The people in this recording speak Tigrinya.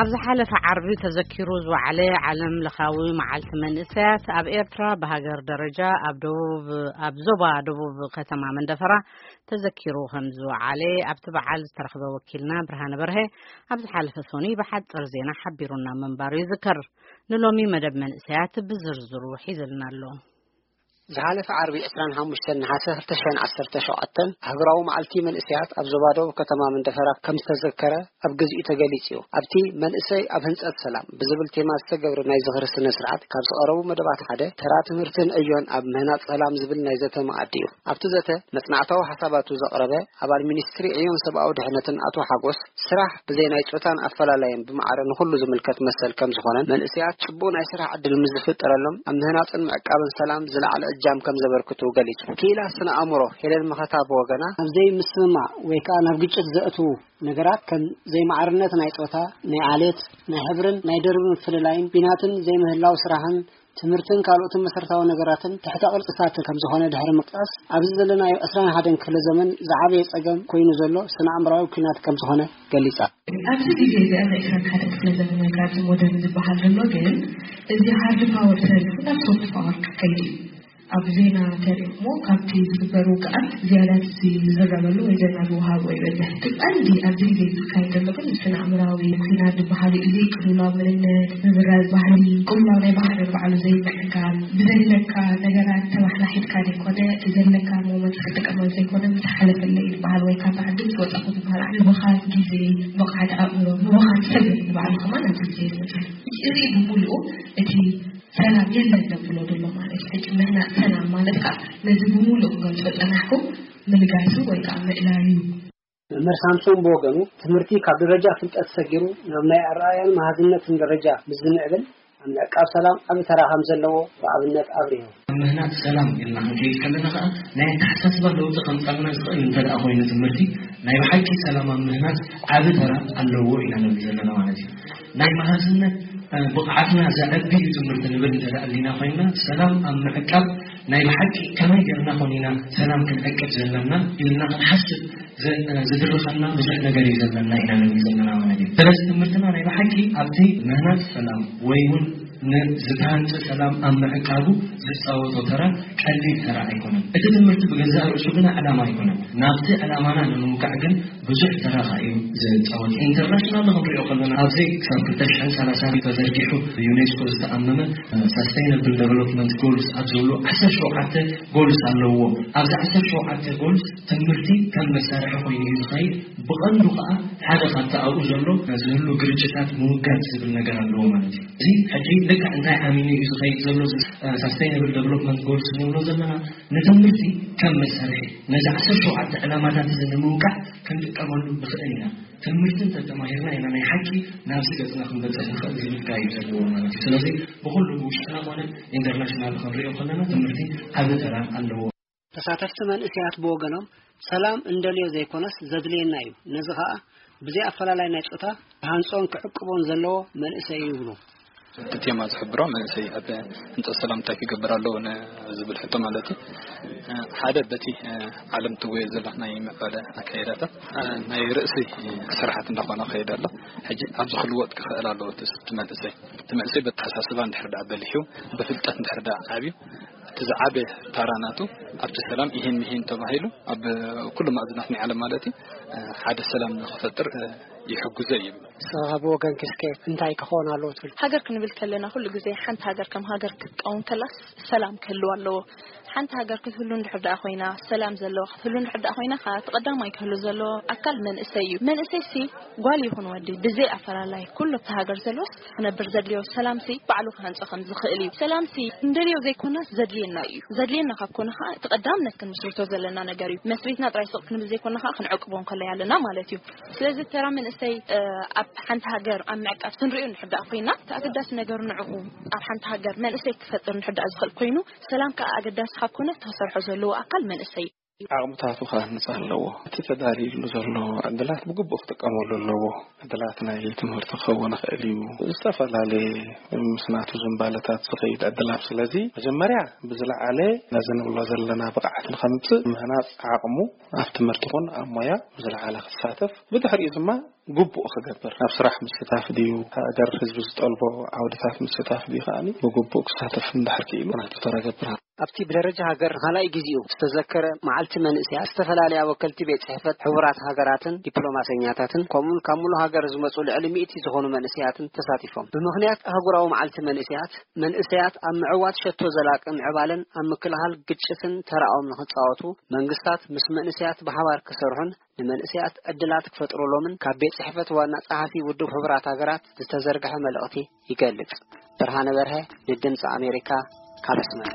ኣብ ዝሓለፈ ዓርቢ ተዘኪሩ ዝወዓለ ዓለም ለኻዊ መዓልቲ መንእሰያት ኣብ ኤርትራ ብሃገር ደረጃ ኣብ ደቡብ፣ ኣብ ዞባ ደቡብ ከተማ መንደፈራ ተዘኪሩ ከም ዝወዓለ ኣብቲ በዓል ዝተረኽበ ወኪልና ብርሃነ በርሀ ኣብ ዝሓለፈ ሰኑይ ብሓጽር ዜና ሓቢሩና ምንባሩ ይዝከር። ንሎሚ መደብ መንእሰያት ብዝርዝሩ ሒዝልና ኣሎ። ዝሓለፈ ዓርቢ ዕስራን ሓሙሽተን ነሓሰ ክልተ ሽሕን ዓሰርተ ሸውዓተን ሃገራዊ መዓልቲ መንእሰያት ኣብ ዞባ ደቡብ ከተማ መንደፈራ ከም ዝተዘከረ ኣብ ግዚኡ ተገሊጹ እዩ። ኣብቲ መንእሰይ ኣብ ህንጸት ሰላም ብዝብል ቴማ ዝተገብረ ናይ ዝኽሪ ስነ ስርዓት ካብ ዝቐረቡ መደባት ሓደ ተራ ትምህርትን ዕዮን ኣብ ምህናጽ ሰላም ዝብል ናይ ዘተ መኣዲ እዩ። ኣብቲ ዘተ መጽናዕታዊ ሓሳባቱ ዘቕረበ ኣባል ሚኒስትሪ ዕዮን ሰብኣዊ ድሕነትን ኣቶ ሓጎስ፣ ስራሕ ብዘይ ናይ ጾታን ኣፈላላይን ብማዕረ ንኹሉ ዝምልከት መሰል ከም ዝኾነን መንእሰያት ጽቡቕ ናይ ስራሕ ዕድል ምስ ዝፍጠረሎም ኣብ ምህናጽን ምዕቃብን ሰላም ዝለዓለ እጃም ከም ዘበርክቱ ገሊጹ። ክኢላ ስነ ኣእምሮ ሄለን መኸታ ብወገና፣ ኣብ ዘይምስምማዕ ወይ ከኣ ናብ ግጭት ዘእትዉ ነገራት ከም ዘይማዕርነት ናይ ጾታ፣ ናይ ዓሌት፣ ናይ ሕብርን ናይ ደርቢ ምፍልላይን፣ ኲናትን ዘይምህላው ስራሕን ትምህርትን ካልኦትን መሰረታዊ ነገራትን ትሕተ ቅርጽታት ከም ዝኾነ ድሕሪ ምጥቃስ፣ ኣብዚ ዘለናዮ ዕስራን ሓደን ክፍለ ዘመን ዝዓበየ ጸገም ኮይኑ ዘሎ ስነ ኣእምራዊ ኲናት ከም ዝኾነ ገሊጻ። ኣብዚ ግዜ እዚ ኣብ ዕስራን ሓደን ክፍለ ዘመን ወይ ከኣ ኣብዚ ሞደርን ዝበሃል ዘሎ ግን እዚ ሃርድ ፓወር ተሪፉ ናብ ሶፍት ፓወር ክኸይድ እዩ። ኣብ ዜና ተሪእኩሞ ካብቲ ዝግበር ውግኣት ዝያዳ እቲ ዝዝረበሉ ወይ ዜና ዝወሃቦ ይበዝሕ። እቲ ቀንዲ ኣብዚ ግዜ ዝካየድ ዘሎ ግን ስነ ኣእምራዊ ኲናት ዝበሃል እዩ። ዘይቅልውላው መንነት፣ ምብራዝ ባህሊ፣ ቅልውላው ናይ ባህሪ ባዕሉ ዘይምዕቃብ፣ ብዘለካ ነገራት ተባሕላሒትካ ዘይኮነ፣ እቲ ዘለካ ሞመንት ክትጥቀመሉ ዘይኮነ፣ ምስ ሓለፈለይ ዝበሃል ወይ ካብታ ዓዲ ምስ ወጻኹ ዝበሃል ምብኻን ግዜ፣ ብቕዓት ኣእምሮ፣ ምብኻን ሰብ ንባዕሉ ከማን ኣብዚ ግዜ ይመጽእ። እዚ ብምሉኡ እቲ ሰላም የለን ዘብሎ ዘሎ ማለት እዩ። ሕጂ ምህናጽ ሰላም ማለት ከኣ ነዚ ብምሉእ ክገልጾ ጸናሕኩ ምልጋሱ ወይ ከኣ ምእላዩ። መምህር ሳምሶን ብወገኑ፣ ትምህርቲ ካብ ደረጃ ፍልጠት ሰጊሩ ናብ ናይ ኣረኣእያን መሃዝነትን ደረጃ ምስ ዝምዕብል፣ ኣብ ምዕቃብ ሰላም ዓቢ ተራ ከም ዘለዎ ብኣብነት ኣብሪሁ። ኣብ ምህናጽ ሰላም ኢልና ክንከይድ ከለና ከኣ፣ ናይ ኣተሓሳስባ ለውጢ ከምጻልና ዝኽእል እንተ ደኣ ኮይኑ ትምህርቲ፣ ናይ ብሓቂ ሰላም ኣብ ምህናጽ ዓቢ ተራ ኣለዎ ኢና ንብል ዘለና ማለት እዩ። ናይ መሃዝነት፣ እ፣ ብቕዓትና ዘዕቢ እዩ ትምህርቲ ንብል እንተ ደኣ ኣሊና ኮይንና፣ ሰላም ኣብ ምዕቃብ ናይ ብሓቂ ከመይ ጌርና ኮን ኢና ሰላም ክንዕቅብ ዘለና ኢልና ክንሓስብ ዝ-፣ እ፣ ዝድርኸና ብዙሕ ነገር እዩ ዘለና ኢና ንብል ዘለና ማለት እዩ። ስለዚ ትምህርትና ናይ ብሓቂ ኣብቲ ምህናጽ ሰላም ወይ እውን ንዝተሃንጸ ሰላም ኣብ ምዕቃቡ ዝጻወቶ ተራ ቀሊል ተራ ኣይኮነን። እቲ ትምህርቲ ብገዛእ ርእሱ ግና ዕላማ ኣይኮነን። ናብቲ ዕላማና ንምውካዕ ግን ብዙሕ ተራ ኸኣ እዩ ዝጻወት። ኢንተርናሽናል ክንሪኦ ከለና፣ ኣብዚ ክሳብ ክልተ ሽሕን ሰላሳን ተዘርጊሑ ብዩኔስኮ ዝተኣመመ ሳስተይነብል ደቨሎፕመንት ጎልስ ኣብ ዝብሉ ዓሰርተ ሸውዓተ ጎልስ ኣለዎ። ኣብዚ ዓሰርተ ሸውዓተ ጎልስ ትምህርቲ ከም መሳርሒ ኮይኑ እዩ ዝኸይድ። ብቐንዱ ኸኣ ሓደ ካብቲ ኣብኡ ዘሎ ዝህሉ ግርጭታት ምውጋድ ዝብል ነገር ኣለዎ ማለት እዩ። እዚ ሕጂ ልክዕ እንታይ ዓሚኑ እዩ ዝኸይድ ዘሎ፣ እዚ ሳስተይነብል ደቨሎፕመንት ጎልስ ንብሎ ዘለና፣ ንትምህርቲ ከም መሳርሒ ነዚ ዓሰርተ ሸውዓተ ዕላማታት እዚ ንምውቃዕ ክንጥቀመሉ ንኽእል ኢና። ትምህርቲ እንተተማሂርና ኢና ናይ ሓቂ ናብዚ ገጽና ክንበጽሕ ንኽእል ዝብል ካ እዩ ዘለዎ ማለት እዩ። ስለዚ ብኹሉ ብውሽጥና ኮነ ኢንተርናሽናል ክንሪኦ ከለና ትምህርቲ ዓቢ ተራ ኣለዎ። ተሳተፍቲ መንእሰያት ብወገኖም፣ ሰላም እንደልዮ ዘይኮነስ ዘድልየና እዩ። ነዚ ኸኣ ብዘይ ኣፈላላይ ናይ ጾታ ክሃንጾን ክዕቅቦን ዘለዎ መንእሰይ እዩ ይብሉ። እቲ ቴማ ዝሕብሮ መንእሰይ ኣብ ህንጸት ሰላም እንታይ ክገብር ኣለዎ ን-፣ ዝብል ሕቶ ማለት እዩ። ሓደ በቲ፣ እ፣ ዓለም ትጎየ ዘላ ናይ ምዕባለ ኣካይዳታት፣ እ፣ ናይ ርእሲ ስራሓት እንዳኾነ ከይድ ኣሎ። ሕጂ ኣብዚ ክልወጥ ክኽእል ኣለዎ እቲ፣ እቲ መንእሰይ። እቲ መንእሰይ በተሓሳስባ እንድሕር ደኣ በሊሑ፣ ብፍልጠት እንድሕር ደኣ ዓብዩ፣ እቲ ዝዓበየ ታራ ናቱ ኣብቲ ሰላም ይሄን ምሄን ተባሂሉ ኣብ ኩሉ ማእዝናት ናይ ዓለም ማለት እዩ፣ ሓደ ሰላም ንኽፈጥር ይሕግዞ እዩ። ንስኻ ብወገንኪ እስከ እንታይ ክኸውን ኣለዎ ትብል? ሃገር ክንብል ከለና ኩሉ ግዜ ሓንቲ ሃገር ከም ሃገር ክትቀውም ከላስ ሰላም ክህልዋ ኣለዎ። ሓንቲ ሃገር ክትህሉ እንድሕር ደኣ ኮይና፣ ሰላም ዘለዋ ክትህሉ እንድሕር ደኣ ኮይና፣ ከኣ እቲ ቀዳማይ ክህሉ ዘለዎ ኣካል መንእሰይ እዩ። መንእሰይ ሲ ጓል ይኹን ወዲ ብዘይ ኣፈላላይ ኩሉ ኣብቲ ሃገር ዘሎስ ክነብር ዘድልዮ ሰላምሲ ባዕሉ ክሃንጾ ከም ዝኽእል እዩ። ሰላምሲ እንደልዮ ዘይኮነስ ዘድልየና እዩ። ዘድልየና ካብ ኮነ ኸዓ እቲ ቀዳምነት ክንምስርቶ ዘለና ነገር እዩ። መስሪትና ጥራይ ስቕ ክንብል ዘይኮነ ኸዓ ክንዕቅቦ እንከለይ ኣለና ማለት እዩ። ስለዚ ተራ መንእሰይ፣ እ፣ ኣብ ሓንቲ ሃገር ኣብ ምዕቃብ ክንሪኦ እንድሕር ደኣ ኮይና፣ እቲ ኣገዳሲ ነገር ንዕኡ ኣብ ሓንቲ ሃገር መንእሰይ ክፈጥር እንድሕር ደኣ ዝኽእል ኮይኑ፣ ሰላም ከኣ ኣገዳሲ ካብ ኮነ እቲ ክሰርሖ ዘለዎ ኣካል መንእሰይ እዩ። ዓቕምታቱ ክሃንጽ ኣለዎ። እቲ ተዳልዩሉ ዘሎ ዕድላት ብግቡእ ክጥቀመሉ ኣለዎ። ዕድላት ናይ ትምህርቲ ክኸውን ይኽእል እዩ። ዝተፈላለየ ምስ ናቱ ዝንባለታት ዝኸይድ ዕድላት። ስለዚ መጀመርያ ብዝለዓለ ነዚ ንብሎ ዘለና ብቕዓት ንኸምጽእ ምህናጽ ዓቕሙ ኣብ ትምህርቲ ኹን ኣብ ሞያ ብዝለዓለ ክሳተፍ፣ ብድሕሪኡ ድማ ግቡእ ክገብር፣ ኣብ ስራሕ ምስታፍ ድዩ፣ ሃገር ህዝቢ ዝጠልቦ ዓውድታት ምስታፍ ድዩ ከኣ ብግቡእ ክሳተፍ እንድሕር ክኢሉ ናቱ ተራ ገብር። ኣብቲ ብደረጃ ሃገር ንኻልኣይ ግዜኡ ዝተዘከረ መዓልቲ መንእሰያት፣ ዝተፈላለያ ወከልቲ ቤት ጽሕፈት ሕቡራት ሃገራትን ዲፕሎማሰኛታትን፣ ከምኡውን ካብ ሙሉእ ሃገር ዝመጹ ልዕሊ ሚእቲ ዝኾኑ መንእሰያትን ተሳቲፎም። ብምኽንያት ኣህጉራዊ መዓልቲ መንእሰያት፣ መንእሰያት ኣብ ምዕዋት ሸቶ ዘላቂ ምዕባለን ኣብ ምክልኻል ግጭትን ተራኦም ንኽጻወቱ፣ መንግስታት ምስ መንእሰያት ብሓባር ክሰርሑን ንመንእሰያት ዕድላት ክፈጥሩሎምን ካብ ቤት ጽሕፈት ዋና ጸሓፊ ውድብ ሕቡራት ሃገራት ዝተዘርግሐ መልእኽቲ ይገልጽ። ብርሃነ በርሀ፣ ንድምጺ ኣሜሪካ፣ ካብ ኣስመራ።